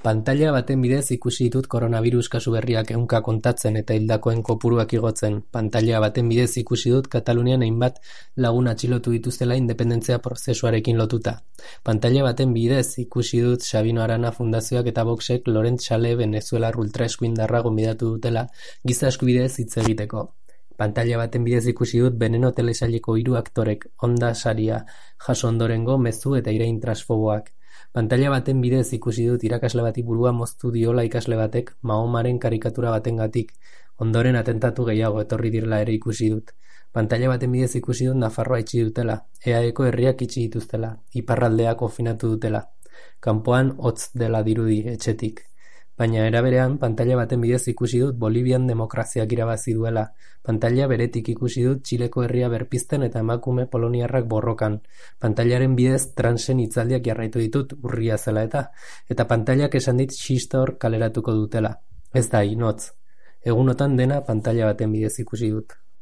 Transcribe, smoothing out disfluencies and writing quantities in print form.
Pantaila baten bidez ikusi ditut koronavirus kasu berriak ehunka kontatzen eta hildakoen kopuruak igotzen. Pantaila baten bidez ikusi dut Katalunian hainbat lagun atxilotu dituztela independentzia prozesuarekin lotuta. Pantaila baten bidez ikusi dut Sabino Arana Fundazioak eta Voxek Laurent Xale venezuelar ultraeskuindarra gonbidatu dutela giza eskubideez hitz egiteko. Pantaila baten bidez ikusi dut Veneno telesaileko 3 aktorek Onda saria jaso ondorengo mezu eta irain transfoboak. Pantaila baten bidez ikusi dut irakasle bati burua moztu diola ikasle batek Mahomaren karikatura batengatik. Ondoren atentatu gehiago etorri direla ere ikusi dut. Pantaila baten bidez ikusi dut Nafarroa itxi dutela, EAEko herriak itxi dituztela, iparraldea konfinatu dutela. Kanpoan hotz dela dirudi etxetik. Baina era berean, pantaila baten bidez ikusi dut Bolivian demokraziak irabazi duela. Pantaila beretik ikusi dut Txileko herria berpizten eta emakume poloniarrak borrokan. Pantailaren bidez transen hitzaldiak jarraitu ditut urria zela eta pantailak esan dit xistor kaleratuko dutela. Ez da inotz. Egunotan dena pantaila baten bidez ikusi dut.